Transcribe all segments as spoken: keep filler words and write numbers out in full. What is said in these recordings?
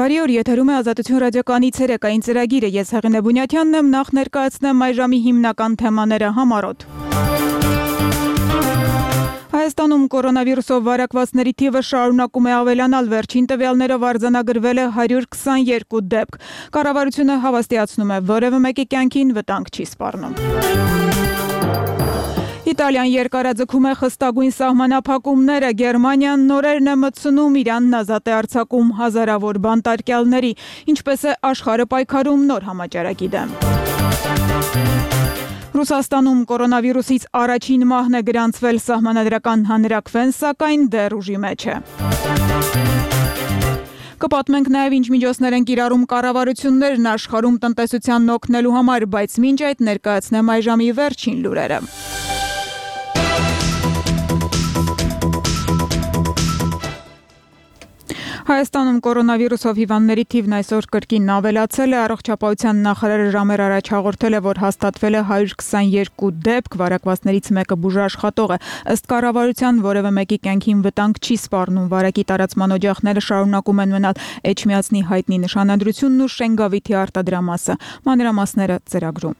Բարի օր, եթերում է Ազատություն ռադիոկայանի ցերեկային ծրագիրը։ Ես Հեղինե Բունյաթյանն եմ, նախ ներկայացնեմ այ ժամի հիմնական թեմաները համառոտ։ Հայաստանում կորոնավիրուսով վարակվածների թիվը շարունակում է ավելանալ, վերջին տվյալներով արձանագրվել է հարյուր քսաներկու դեպք։ Կառավարությունը հավաստիացնում է, որևէ մեկի կյանքին վտանգ չի սպառնում։ Իտալիան երկարաձգում է խստագույն սահմանափակումները, Գերմանիան նորերն է մտցնում, Իրանն ազատ է արձակում հազարավոր բանտարկյալների, ինչպես է աշխարհը պայքարում նոր համաճարակի դեմ։ Ռուսաստանում կորոնավիրուսից առաջին մահն է գրանցվել, սահմանադրական հանրաքվեն, սակայն դեռ ուժի մեջ է։ Կպատմենք նաև ինչ միջոցներ են կիրառում կառավարություններն աշխարհում տնտեսությանն օգնելու համար, բայց մինչ այդ ներկայացնեմ այժմի վերջին լուրերը։ Հայաստանում կորոնավիրուսով հիվանդների թիվն այսօր կրկին ավելացել է, առողջապահության նախարարը ժամեր առաջ հաղորդել է, որ հաստատվել է հարյուր քսաներկու դեպք, վարակվածներից մեկը բուժաշխատող է, ըստ կառավարության որևէ մեկի կյանքին վտանգ չի սպառնում, վարակի տարածման օջախները շարունակում են մնալ Էջմիածնի հայտնի նշանադրությունն ու Շենգավիթի արտադրամասը, մանրամասները ծրագրում։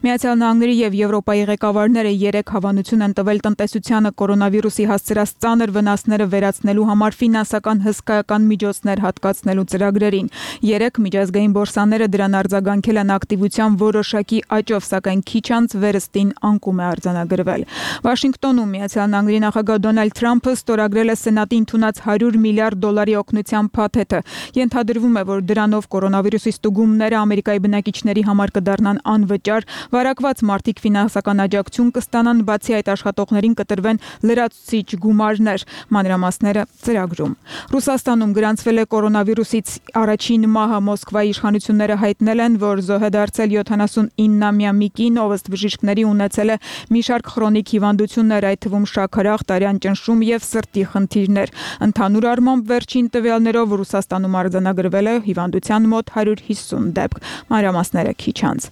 Միացյալ Նահանգների եւ Եվրոպայի ղեկավարները երեք հավանություն են տվել տնտեսությանը կորոնավիրուսի հասցրած ծանր վնասները վերացնելու համար ֆինանսական հսկայական միջոցներ հատկացնելու ծրագրերին։ Երեք միջազգային բորսաները դրան արձագանքել են ակտիվության որոշակի աճով, սակայն քիչ անց վերստին անկում է արձանագրվել։ Վաշինգտոնում Միացյալ Նահանգների նախագահ Դոնալդ Թրամփը ստորագրել է Սենատի ընդունած հարյուր միլիարդ դոլարի օգնության փաթեթը։ Ենթադրվում է, որ դրանով կորոնավիրուսի ստուգումները Ամերիկայի բնակիչների համար կդառնան անվճար, վարակված մարդիկ ֆինանսական աջակցություն կստանան, բացի այդ աշխատողներին կտրվեն լրացուցիչ գումարներ, մանրամասները ծրագրում։ Ռուսաստանում գրանցվել է կորոնավիրուսից առաջին մահը, Մոսկվայի իշխանությունները հայտնել են, որ զոհ է դարձել յոթանասունիննամյա մի կին, ով ըստ բժիշկների ունեցել է մի շարք քրոնիկ հիվանդություններ, այդ թվում շաքարախ, տարյան ճնշում եւ սրտի խնդիրներ։ Ընդհանուր առմամբ վերջին տվյալներով Ռուսաստանում արձանագրվել է հիվանդության մոտ հարյուր հիսուն դեպք, մանրամասները քիչ անց։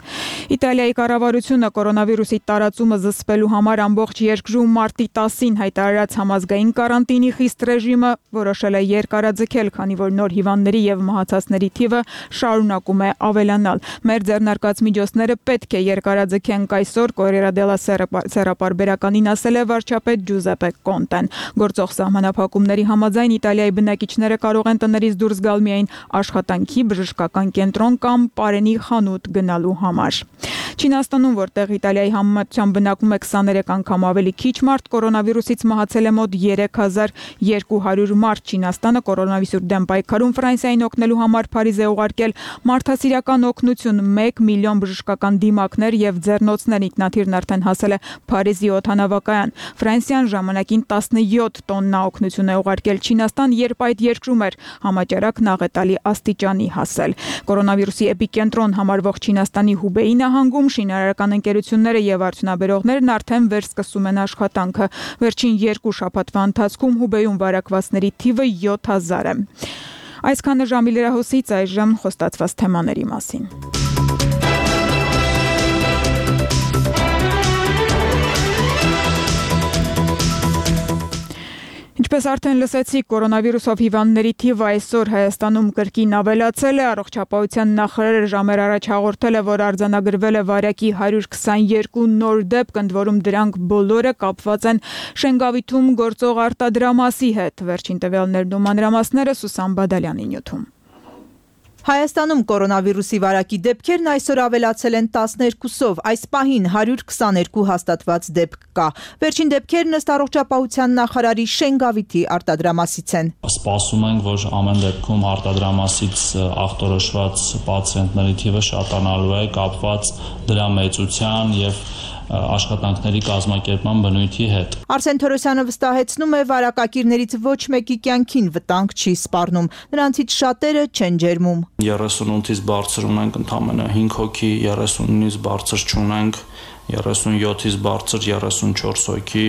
Իտալիայի կառավարությունը կորոնավիրուսի տարածումը զսպելու համար ամբողջ երկրում մարտի տասին հայտարարած համազգային կարանտինի խիստ ռեժիմը որոշել է երկարաձգել, քանի որ նոր հիվանդների եւ մահացածների թիվը շարունակում է ավելանալ։ Մեր ձեռնարկած միջոցները պետք է երկարաձգենք այսօր, Կորիերա դելա Սերա պարբերականին ասել է վարչապետ Ջուզեպե Կոնտեն։ Գործող սահմանափակումների համաձայն Իտալիայի բնակիչները կարող են տներից դուրս գալ միայն աշխատանքի, բժշկական կենտրոն կամ պարենի խանութ գնալու համար։ Չինաստանում, որտեղ Իտալիայի համեմատությամբ բնակվում է քսաներեք անգամ ավելի քիչ մարդ, կորոնավիրուսից մահացել է մոտ երեք հազար երկու հարյուր մարդ։ Չինաստանը կորոնավիրուսի դեմ պայքարում Ֆրանսիային օգնելու համար Փարիզ է ուղարկել մարդասիրական օգնություն, մեկ միլիոն բժշկական դիմակներ եւ ձեռնոցներ, ինքնաթիռն արդեն հասել է Փարիզի օդանավակայան։ Ֆրանսիան ժամանակին տասնյոթ տոննա օգնություն է ուղարկել Չինաստան, երբ այդ երկրում էր համաճարակն աղետալի աստիճանի հասել։ Կորոնավիրուսի էպիկենտրոն համարվող Չինաստանի Հուբեյի նահանգում շինարարական ընկերությունները եւ արդյունաբերողներն արդեն վերսկսում են աշխատանքը։ Վերջին երկու շաբաթվա ընթացքում Հուբեյում վարակվածների թիվը յոթ հազար է։ Այսքանը ժամի լրահոսից, այժմ խոստացված թեմաների մասին։ Ինչպես արդեն լսեցիք, կորոնավիրուսով հիվանդների թիվը այսօր Հայաստանում կրկին ավելացել է, առողջապահության նախարարը ժամեր առաջ հաղորդել է, որ արձանագրվել է վարակի հարյուր քսաներկու նոր դեպք, ընդ որում դրանք բոլորը կապված են Շենգավիթում գործող արտադրամասի հետ։ Վերջին տվյալներն ու մանրամասները Սուսան Բադալյանի նյութում։ Հայաստանում կորոնավիրուսի վարակի դեպքերն այսօր ավելացել են տասներկուսով, այս պահին հարյուր քսաներկու հաստատված դեպք կա։ Վերջին դեպքերն ըստ առողջապահության նախարարի Շենգավիթի արտադրամասից են։ Սպասում ենք, որ ամեն դեպքում արտադրամասից ախտորոշված պացիենտների թիվը շատանալու է, կապված դրա մեծության եւ աշխատանքների կազմակերպման բնույթի հետ։ Արսեն Թորոսյանը վստահեցնում է, վարակակիրներից ոչ մեկի կյանքին վտանգ չի սպառնում, նրանցից շատերը չեն ջերմում։ երեսունութից բարձր ունենք ընդամենը հինգ հոգի, երեսունից բարձր չունենք, երեսունյոթից բարձր երեսունչորս հոգի,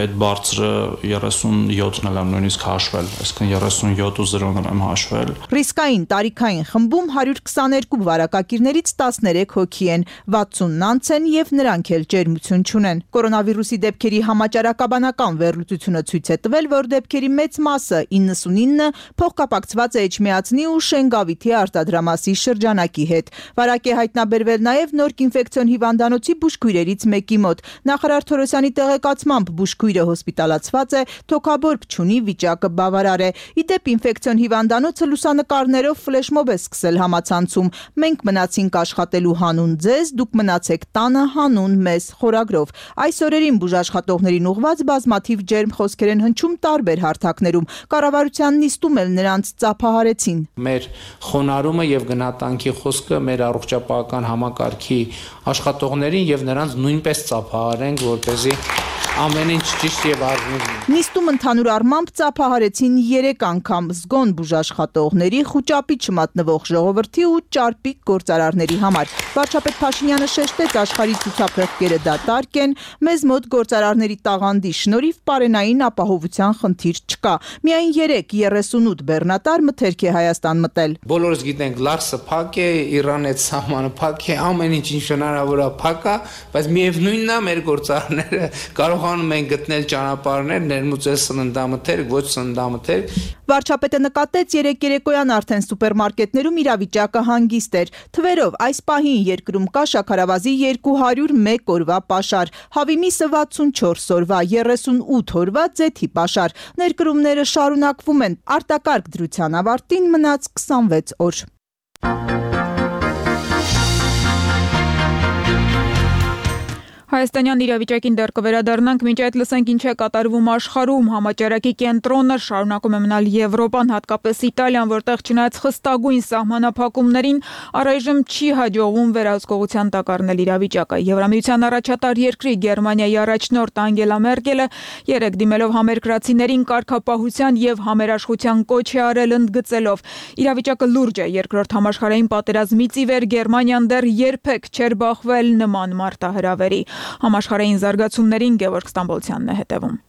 այդ բարձրը երեսունյոթն եմ նույնիսկ հաշվել, այսինքն երեսունյոթ ու զրոն եմ հաշվել։ Ռիսկային տարիքային խմբում հարյուր քսաներկու վարակակիրներից տասներեք հոգի են, վաթսունն անց են եւ նրանք էլ ջերմություն չունեն։ Կորոնավիրուսի դեպքերի համաճարակաբանական վերլուծությունը ցույց է տվել, որ դեպքերի մեծ մասը իննսունինը փոխկապակցված է էչմիածնի ու շենգավիթի արտադրամասի շրջանակի հետ։ Վարակ է հայտնաբերվել նաեւ նորք ինֆեկցիոն հիվանդանոցի բուժքույրերից մեկի մոտ։ Նախարար Թորոսյանի տեղեկացմամբ բուժքույրը հոսպիտալացված է, թոքաբորբ չունի, վիճակը բավարար է։ Ի դեպ ինֆեկցիոն հիվանդանոցը լուսանկարներով ֆլեշմոբ է սկսել համացանցում։ Մենք մնացինք աշխատելու հանուն ձեզ, դուք մնացեք տանը հանուն մեզ խորագրով։ Այս օրերին բուժաշխատողներին ուղված բազմաթիվ ջերմ խոսքեր են հնչում տարբեր հարթակներում։ Կառավարության նիստում էլ նրանց ծափահարեցին։ Մեր խոնարհումը եւ գնահատանքի խոսքը մեր առողջապահական համակարգի աշխատողներին եւ նրանց նույնպես ծափահարենք, որպեսզի ամեն ինչ ճիշտ եւ արժանի լինի։ Նիստում ընդհանուր առմամբ ծափահարեցին երեք անգամ զգոն բուժաշխատողների, խուճապի չմատնվող ժողովրդի ու ճարպիկ գործարարների համար։ Վարչապետ Փաշինյանը շեշտեց, աշխարհի ցուցափեղկերը դատարկ են, մեզ մոտ գործարարների տաղանդի շնորհիվ պարենային ապահովության խնդիր չկա։ Միայն երեք երեսունութ բեռնատար մթերք է Հայաստան մտել։ Բոլորս գիտենք, Լարսը փակ է, Իրանը այդ սահմանը փակ է, ամեն ինչ ինչ հնարավոր է փակ է, բայց միևնույնն է մեր գործարարները կարողանում են գտնել ճանապարհներ, ներմուծել սննդամթերք, ոչ սննդամթերք։ Վարչապետը նկատեց երեք երեկոյան արդեն սուպերմարկետներում իրավիճակը հանգիստ էր։ Թվերով այս պահին երկրում կա շաքարավազի երկու հարյուր մեկ օրվա պաշար, հավի միսը վաթսունչորս օրվա, երեսունութ օրվա ձեթի պաշար։ Ներկրումները շարունակվում են։ Արտակարգ դրության ավարտին մնաց քսանվեց օր։ Հայաստանյան իրավիճակին դեռ կվերադառնանք, մինչ այդ լսենք ինչ է կատարվում աշխարհում։ Համաճարակի կենտրոնը շարունակում է մնալ Եվրոպան, հատկապես Իտալիան, որտեղ չնայած խստագույն սահմանափակումներին առայժմ չի հաջողվում վերահսկողության տակ առնել իրավիճակը։ Եվրամիության առաջատար երկրի Գերմանիայի առաջնորդ Անգելա Մերկելը երեկ դիմելով համերկրացիներին կարգապահության եւ համերաշխության կոչ է արել, ընդգծելով. իրավիճակը լուրջ է, երկրորդ համաշխարհային պատերազմից ի վեր Գերմանիան դեռ երբեք չէր բախվել նման մարտահրավերի։ Համաշխարհային զարգացումներին Գևորգ Ստամբոլցյանն է հետևում։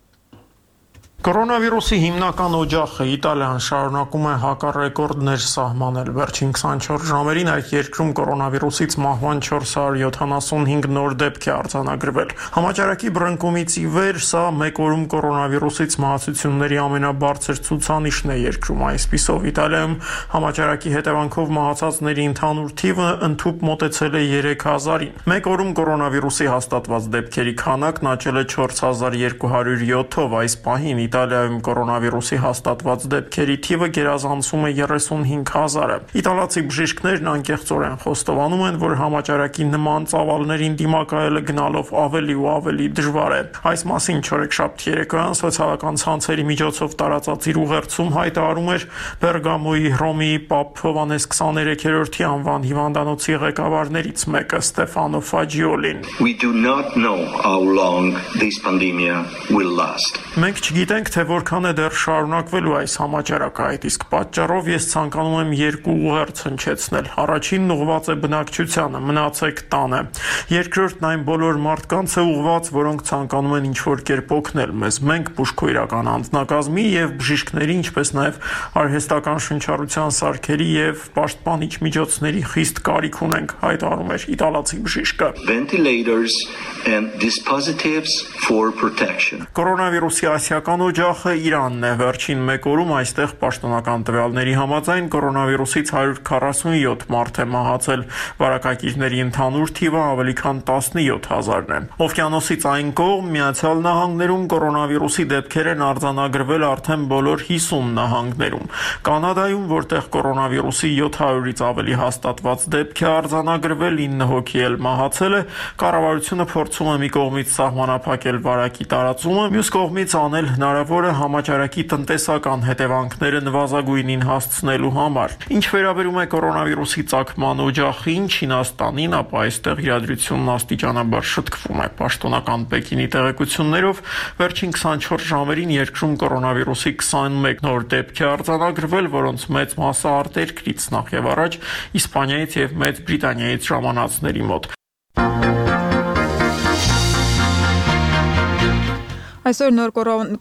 Կորոնավիրուսի հիմնական օջախը Իտալիան շարունակում է հակառեկորդներ սահմանել։ Վերջին քսանչորս ժամերին այդ երկրում կորոնավիրուսից մահվան չորս հարյուր յոթանասունհինգ նոր դեպք է արձանագրվել։ Համաճարակի բռնկումից ի վեր սա մեկ օրում կորոնավիրուսից մահացությունների ամենաբարձր ցուցանիշն է երկրում։ Այսպիսով Իտալիայում համաճարակի հետևանքով մահացածների ընդհանուր թիվը ընդհուպ մոտեցել է երեք հազարին։ Մեկ օրում կորոնավիրուսի հաստատված դեպքերի քանակն աճել է չորս հազար երկու հարյուր յոթով։ Այս պահին Իտալիայում կորոնավիրուսի հաստատված դեպքերի թիվը գերազանցում է երեսունհինգ հազարը։ Իտալացի բժիշկներն անկեղծորեն խոստովանում են, որ համաճարակի նման ծավալներին դիմակայելը գնալով ավելի ու ավելի դժվար է։ Այս մասին չորեքշաբթի երեկոյան սոցիալական ցանցերի միջոցով տարածած իր ուղերձում հայտարարում էր Բերգամոյի Հռոմի Պապ Հովհաննես քսաներեքերորդի անվան հիվանդանոցի ղեկավարներից մեկը Ստեֆանո Ֆաջիոլին։ We do not know how long this pandemic will last. Մենք չգիտենք, թե որքան է դեռ շարունակվելու այս համաճարակը, այդ իսկ պատճառով ես ցանկանում եմ երկու ուղերձ հնչեցնել։ Առաջինն ուղղված է բնակչությանը, մնացեք տանը։ Երկրորդն այն բոլոր մարդկանց է ուղղված, որոնք ցանկանում են ինչ-որ կերպ օգնել մեզ։ Մենք բուժքույրական անձնակազմի եւ բժիշկների, ինչպես նաեւ արհեստական շնչառության սարքերի եւ պաշտպանիչ միջոցների խիստ կարիք ունենք, հայտարարում էր իտալացի բժիշկը։ Ventilators and dispositives for protection. Կորոնավիրուսի ասիական օջախը Իրանն է։ Վերջին մեկ օրում այստեղ պաշտոնական տվյալների համաձայն կորոնավիրուսից հարյուր քառասունյոթ մարդ է մահացել։ Վարակակիրների ընդհանուր թիվը ավելի քան տասնյոթ հազարն է։ Օվկիանոսից այն կողմ Միացյալ Նահանգներում կորոնավիրուսի դեպքեր են արձանագրվել արդեն բոլոր հիսուն նահանգներում։ Կանադայում, որտեղ կորոնավիրուսի յոթ հարյուրից ավելի հաստատված դեպք է արձանագրվել, ինը հոգի էլ մահացել է, կառավարությունը փորձում է մի կողմից սահմանափակել վարակի տարածումը, մյուս կողմից անել հնարավորը համաճարակի տնտեսական հետևանքները նվազագույնին հասցնելու համար։ Ինչ վերաբերում է կորոնավիրուսի ծագման օջախին, Չինաստանին, ապա այստեղ իրադրությունն աստիճանաբար շտկվում է։ Պաշտոնական Պեկինի տեղեկություններով վերջին քսանչորս ժամերին երկրում կորոնավիրուսի քսանմեկ նոր դեպք է արձանագրվել, որոնց մեծ մասը արտերկրից, նախ եւ առաջ Իսպանիայից եւ Մեծ Բրիտանիայից ժամանածների մոտ։ Այսօր նոր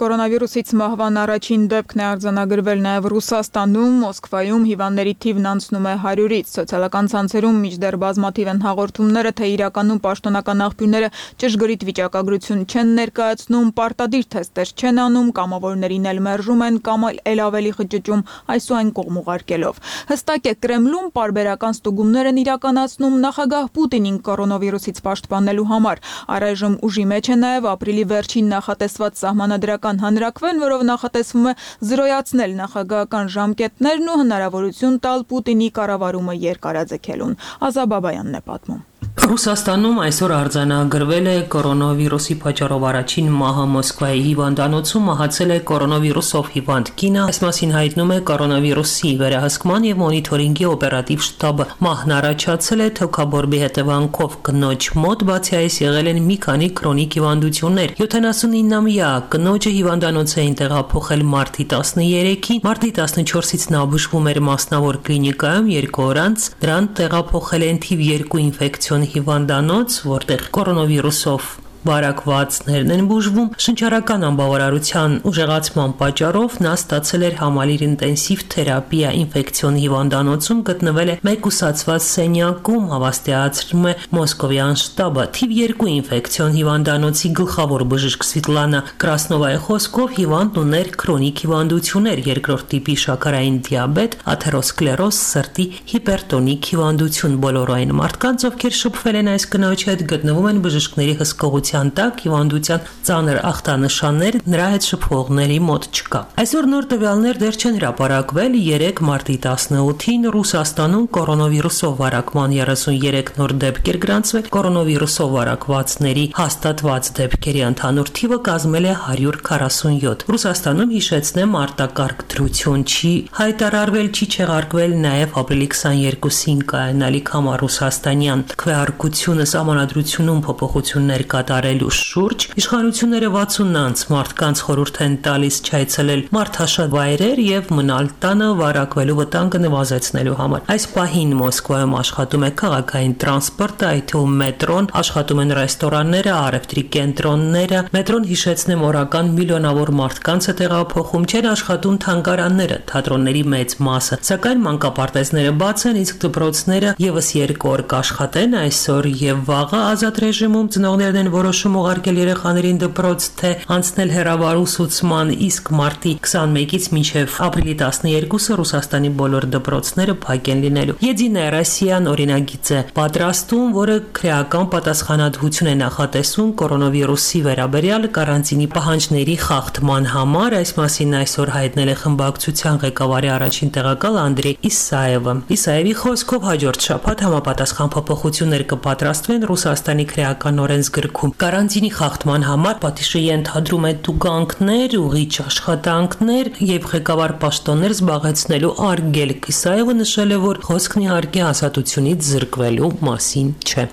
կորոնավիրուսից մահվան առաջին դեպքն է արձանագրվել նաև Ռուսաստանում, Մոսկվայում հիվանդների թիվն անցնում է հարյուրից։ Սոցիալական ցանցերում մինչդեռ բազմաթիվ են հաղորդումները, թե իրականում պաշտոնական աղբյուրները ճշգրիտ վիճակագրություն չեն ներկայացնում, պարտադիր թեստեր չեն անում, կամավորներին էլ մերժում են կամ էլ ավելի խճճում այս ու այն կողմ ուղարկելով։ Հստակ է, Կրեմլում պարբերական ստուգումներ են իրականացնում նախագահ Պուտինին կորոնավիրուսից պաշտպանելու համար։ Առայժմ ուժի մեջ է նաև ապրիլի վերջին նախատեսված սահմանադրական հանրաքվեն, որով նախատեսվում է զրոյացնել նախագահական ժամկետներն ու հնարավորություն տալ Պուտինի կառավարումը երկարաձգելուն։ Ազաբաբայանն է պատմում։ Ռուսաստանում այսօր արձանագրվել է կորոնավիրուսի պատճառով առաջին մահը Մոսկվայի հիվանդանոցում մահացել է կորոնավիրուսով հիվանդ կինը, այս մասին հայտնում է կորոնավիրուսի վերահսկման եւ մոնիթորինգի օպերատիվ շտաբը։ Մահն առաջացել է թոքաբորբի հետևանքով կնոջ մոտ, բացի այս եղել են մի քանի քրոնիկ հիվանդություններ։ յոթանասունինամյա կնոջը հիվանդանոց էին տեղափոխել մարտի տասներեքին, մարտի տասնչորսից նա բուժվում էր մասնավոր կլինիկայում, երկու օր անց նրան տեղափոխել են թիվ երկու ինֆեկցիոն հիվանդանոց, որտեղ կորոնավիրուսով վարակվածներն են բուժվում։ Շնչառական անբավարարության ուժեղացման պատճառով նա ստացել էր համալիր ինտենսիվ թերապիա ինֆեկցիոն հիվանդանոցում, գտնվել է մեկուսացված սենյակում, հավաստիացնում է մոսկովյան շտաբը։ Թիվ երկու ինֆեկցիոն հիվանդանոցի գլխավոր բժիշկ Սվետլանա Կրասնովայի խոսքով հիվանդն ուներ քրոնիկ հիվանդություններ, երկրորդ տիպի շաքարային դիաբետ, աթերոսկլերոզ, սրտի հիպերտոնիկ հիվանդություն։ Բոլոր այն մարդկանց, ովքեր շփվել են այս կնոջի հետ, գտնվում են բժիշկների հսկողության տակ, հիվանդության ծանր ախտանշաններ նրա հետ շփվողների մոտ չկա։ Այսօր նոր տվյալներ դեռ չեն հրապարակվել։ երեկ մարտի տասնութին Ռուսաստանում կորոնավիրուսով վարակման երեսուներեք նոր դեպքեր գրանցվել։ Կորոնավիրուսով վարակվածների հաստատված դեպքերի ընդհանուր թիվը կազմել է հարյուր քառասունյոթ։ Ռուսաստանում, հիշեցնեմ, արտակարգ դրություն չի հայտարարվել, չի չեղարկվել նաև ապրիլի քսաներկուսին կայանալիք համար ռուսաստանյան քվեարկությունը սահմանադրությունում փոփոխություններ կատարելու շուրջ իշխանությունները վաթսունանց մարդկանց խորհուրդ են տալիս չայցելել մարդաշատ վայրեր եւ մնալ տանը վարակվելու վտանգը նվազեցնելու համար։ Այս պահին Մոսկվայում աշխատում է քաղաքային տրանսպորտը, այդ թվում մետրոն, աշխատում են ռեստորանները, առևտրի կենտրոնները։ Մետրոն, հիշեցնեմ, օրական միլիոնավոր մարդկանց է տեղափոխում, չեն աշխատում թանգարանները, թատրոնների մեծ մասը, սակայն մանկապարտեզները բաց են, իսկ դպրոցները եւս երկու օր կաշխատեն, այսօր եւ վաղը ազատ ռեժիմում ծնողներն են որոշում ուղարկել երեխաներին դպրոց, թե անցնել հեռավար ուսուցման, իսկ մարտի քսանմեկից մինչև ապրիլի տասներկուսը Ռուսաստանի բոլոր դպրոցները փակ են լինելու։ Եդինա Ռոսիան օրինագիծ է պատրաստում, որը քրեական պատասխանատվություն է նախատեսում կորոնավիրուսի վերաբերյալ կարանտինի պահանջների խախտման համար։ Այս մասին այսօր հայտնել է խմբակցության ղեկավարի առաջին տեղակալ Անդրեյ Իսաևը։ Իսաևի խոսքով հաջորդ շաբաթ համապատասխան փոփոխություններ կպատրաստվեն Ռուսաստանի քրեական օրենսգրքում։ Կարանտինի խախտման համար պատիժը ենթադրում է տուգանքներ, ուղիչ աշխատանքներ եւ ղեկավար պաշտոններ զբաղեցնելու արգելք։ Իսաևը նշել է, որ խոսքն իհարկե ազատությունից զրկվելու մասին չէ։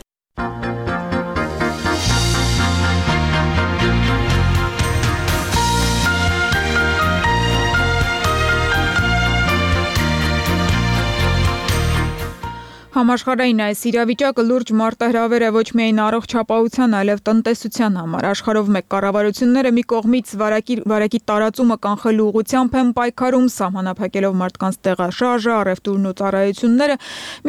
Համաշխարհային այս իրավիճակը լուրջ մարտահրավեր է ոչ միայն առողջապահության, այլև տնտեսության համար։ Աշխարհով մեկ կառավարությունները մի կողմից վարակի, վարակի տարածումը կանխելու ուղղությամբ են պայքարում, սահմանափակելով մարդկանց տեղաշարժը, առևտուրն ու ծառայությունները,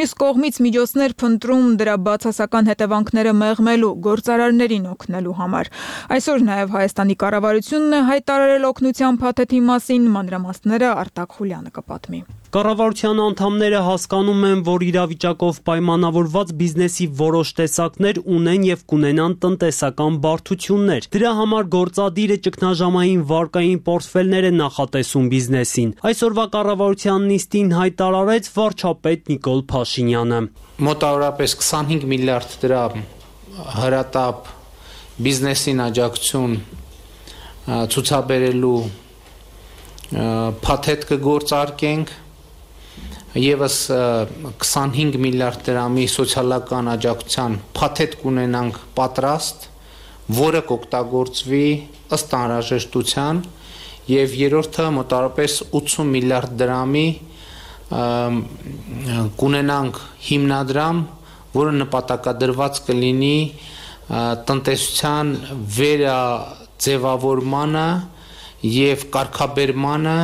մյուս կողմից միջոցներ փնտրում դրա բացասական հետևանքները մեղմելու, գործարարներին օգնելու համար։ Այսօր նաև Հայաստանի կառավարությունն է հայտարարել օգնության փաթեթի մասին, մանրամասները Արտակ Խուլյանը կպատմի։ Կառավարության անդամները հասկանում են, որ իրավիճակով պայմանավորված բիզնեսի որոշ տեսակներ ունեն եւ կունենան տնտեսական բարդություններ։ Դրա համար գործադիրը ճգնաժամային վարկային պորտֆելներ է նախատեսում բիզնեսին։ Այսօրվա կառավարության նիստին հայտարարեց վարչապետ Նիկոլ Փաշինյանը։ Մոտավորապես քսանհինգ միլիարդ դրամ հրատապ բիզնեսին աջակցություն ցուցաբերելու փաթեթ կգործարկենք։ Եվս քսանհինգ միլիարդ դրամի սոցիալական աջակցության փաթեթ կունենանք պատրաստ, որը կօգտագործվի ըստ անհրաժեշտության, եւ երրորդը մոտավորապես ութսուն միլիարդ դրամի կունենանք հիմնադրամ, որը նպատակադրված կլինի տնտեսության վերա ձևավորմանը եւ կարգաբերմանը։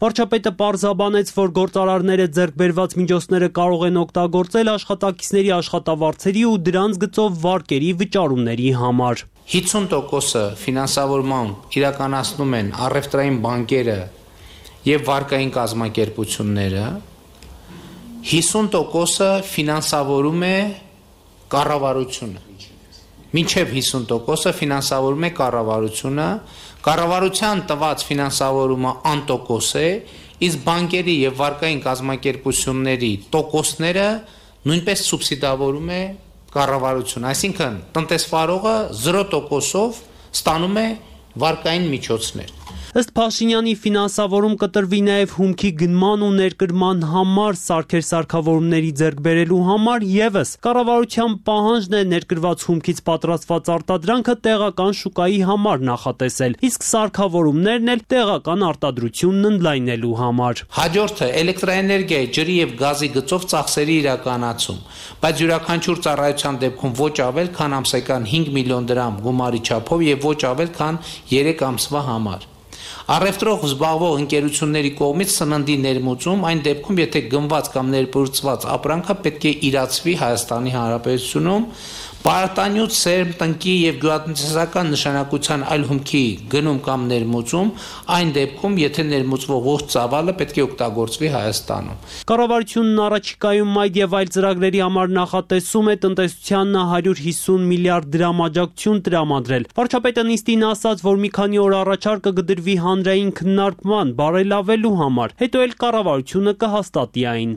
Վարչապետը պարզաբանեց, որ գործարարները ձեռք բերված միջոցները կարող են օգտագործել աշխատակիցների աշխատավարձերի ու դրանց գծով վարկերի վճարումների համար։ հինգ տոկոսը ֆինանսավորման իրականացնում են առևտրային բանկերը եւ վարկային կազմակերպությունները, հիսուն տոկոսը ֆինանսավորում է կառավարությունը։ Մինչև հիսուն տոկոսը ֆինանսավորում է կառավարությունը, կառավարության տված ֆինանսավորումը անտոկոս է, իսկ բանկերի եւ վարկային կազմակերպությունների տոկոսները նույնպես սուբսիդավորում է կառավարությունը, այսինքն տնտեսվարողը զրո տոկոսով ստանում է վարկային միջոցներ։ Ըստ Փաշինյանի ֆինանսավորում կտրվի նաև հումքի գնման ու ներկրման համար սարքեր սարքավորումների ձեռք բերելու համար եւս կառավարության պահանջն է ներկրված հումքից պատրաստված արտադրանքը տեղական շուկայի համար նախատեսել, իսկ սարքավորումներն էլ տեղական արտադրությունն ընդլայնելու համար։ Հաջորդը էլեկտրաէներգիայի, ջրի եւ գազի գծով ծախսերի իրականացում, բայց յուրաքանչյուր ծառայության դեպքում ոչ ավել քան ամսական հինգ միլիոն դրամ գումարի չափով եւ ոչ ավել քան երեք ամսվա համար։ Առևտրով զբաղվող ընկերությունների կողմից սննդի ներմուծում այն դեպքում, եթե գնված կամ ներբուրցված ապրանքը պետք է իրացվի Հայաստանի Հանրապետությունում, պարտանյութ, սերմ, տնկի եւ գյուղատնտեսական նշանակության այլ հումքի գնում կամ ներմուծում, այն դեպքում, եթե ներմուծվող ողջ ծավալը պետք է օգտագործվի Հայաստանում։ Կառավարությունն առաջիկայում այդ եւ այլ ծրագրերի համար նախատեսում է տնտեսությանն հարյուր հիսուն միլիարդ դրամ աջակցություն տրամադրել։ Վարչապետը նիստին ասաց, որ մի քանի օր առաջարկը կդրվի հանրային քննարկման, բարելավելու համար, հետո էլ կառավարությունը կհաստատի այն։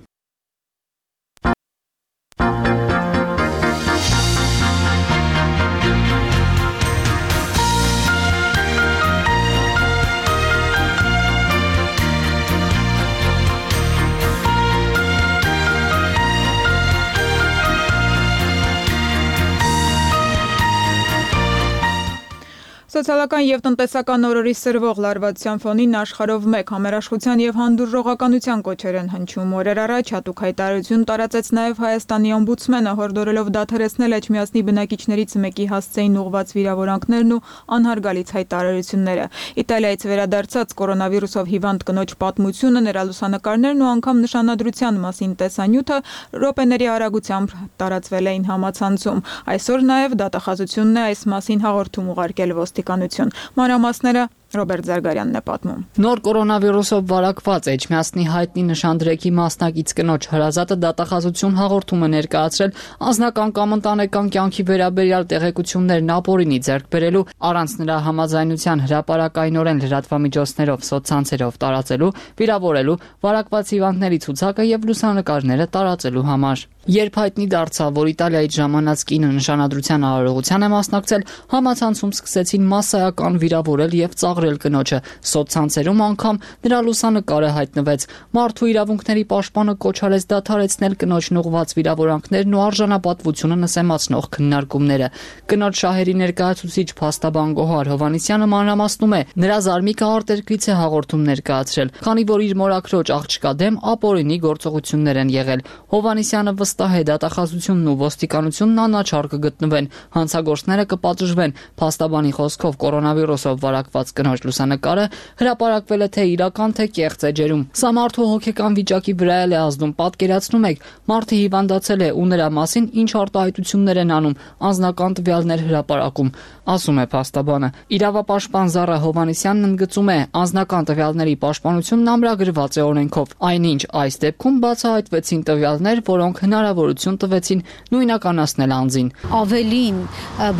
Սոցիալական եւ տնտեսական օրերի սրվող լարվածության ֆոնին աշխարհով մեկ համերաշխության եւ հանդուրժողականության կոչեր են հնչում։ Օրեր առաջ հատուկ հայտարարություն տարածեց նաեւ Հայաստանի օմբուդսմենը, հորդորելով դադարեցնել Էջմիածնի բնակիչներից մեկի հասցեին ուղղված վիրավորանքներն ու անհարգալից հայտարարությունները։ Իտալիայից վերադարձած կորոնավիրուսով հիվանդ կնոջ պատմությունը, նրա լուսանկարներն ու անգամ նշանադրության մասին տեսանյութը րոպեների արագությամբ տարածվել էին համացանցում։ Այսօր նաեւ դատախազությունն է այս մասին հաղորդում ուղարկել ոստիկանություն։ Մանրամասները Ռոբերտ Զարգարյանն է պատմում։ Նոր կորոնավիրուսով վարակված Էջմիածնի հայտնի նշանդրեկի մասնակից կնոջ հրազատը դատախազություն հաղորդում է ներկայացրել անձնական կամ ընտանեկան կյանքի վերաբերյալ տեղեկություններն ապօրինի ձեռք բերելու, առանց նրա համաձայնության հրապարակայնորեն լրատվամիջոցներով, սոցցանցերով տարածելու, վիրավորելու, վարակված հիվանդների ցուցակը եւ լուսանկարները տարածելու համար։ Երբ հայտնի դարձավ, որ Իտալիայից ժամանած կինը նշանադրության արարողության է մասնակցել, համացանցում սկսեցին մասսայական վիրավորել եւ ծաղրել կնոջը։ Սոցցանցերում անգամ նրա լուսանկարը հայտնվեց։ Մարդու իրավունքների պաշտպանը կոչարեց դադարեցնել կնոջն ուղղված վիրավորանքներն ու արժանապատվությունը նսեմացնող քննարկումները։ Կնոջ շահերի ներկայացուցիչ փաստաբան Գոհար Հովհաննիսյանը մանրամասնում է, նրա զարմիկը արտերկրից է հաղորդում ներկայացրել, քանի որ իր մորաքրոջ աղջկա դեմ ապօրինի գործողություններ են եղել։ Հովհաննիսյանը վստահ է, դատախազությունն ու ոստիկանությունն անաչառ կգտնվեն, հանցագործները կպատժվեն։ Փաստաբանի խոսքով կորոնավիրուսով վարակված կնոջ լուսանկարը հրապարակվել է թե իրական, թե կեղծ էջերում։ Սա մարդու հոգեկան վիճակի վրա է ազդում։ Պատկերացնում եք, մարդը հիվանդացել է ու նրա մասին ինչ արտահայտություններ են անում, անձնական տվյալներ հրապարակում, ասում է փաստաբանը։ Իրավապաշտպան Զառա Հովհաննիսյանն ընդգծում է, անձնական տվյալների պաշտպանությունն ամրագրված է օրենքով, այնինչ այս դեպքում բացահայտվեցին տվյալներ, որոնք հնարավորություն տվեցին նույնականացնել անձին։ Ավելին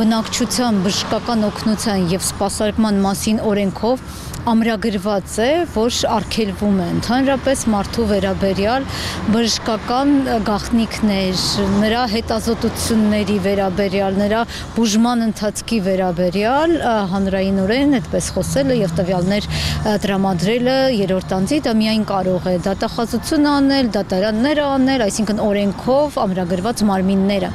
բնակչության բժշկական օգնության եւ սպասարկման մասին օրենքով ամրագրված է, որ արգելվում է ընդհանրապես մարդու վերաբերյալ բժշկական գաղտնիքներ, նրա հետազոտությունների վերաբերյալ, նրա բուժման ընթացքի վերաբերյալ հանրայինորեն այդպես խոսելը եւ տվյալներ տրամադրելը երրորդ անձի դա միայն կարող է դատախազություն անել, դատարաններ անել, այսինքն օրենքով ամրագրված մարմինները։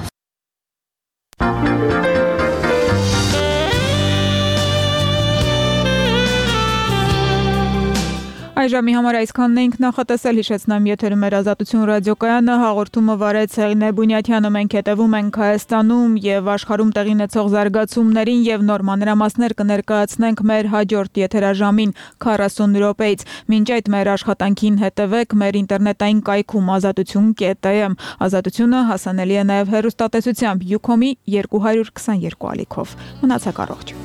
Այժմի համար այսքանն էինք նախատեսել, հիշեցնեմ եթերում էր Ազատություն ռադիոկայանը, հաղորդումը վարեց Հեղինե Բունյաթյանը, մենք հետևում ենք Հայաստանում եւ աշխարհում տեղի ունեցող զարգացումներին եւ նոր մանրամասներ կներկայացնենք մեր հաջորդ եթերաժամին քառասուն րոպեից։ Մինչ այդ մեր աշխատանքին հետևեք մեր ինտերնետային կայքում ազատություն կետ am։ Ազատությունը հասանելի է նաեւ հեռուստատեսությամբ Յուքոմի երկու հարյուր քսաներկու ալիքով։ Մնացեք առողջ։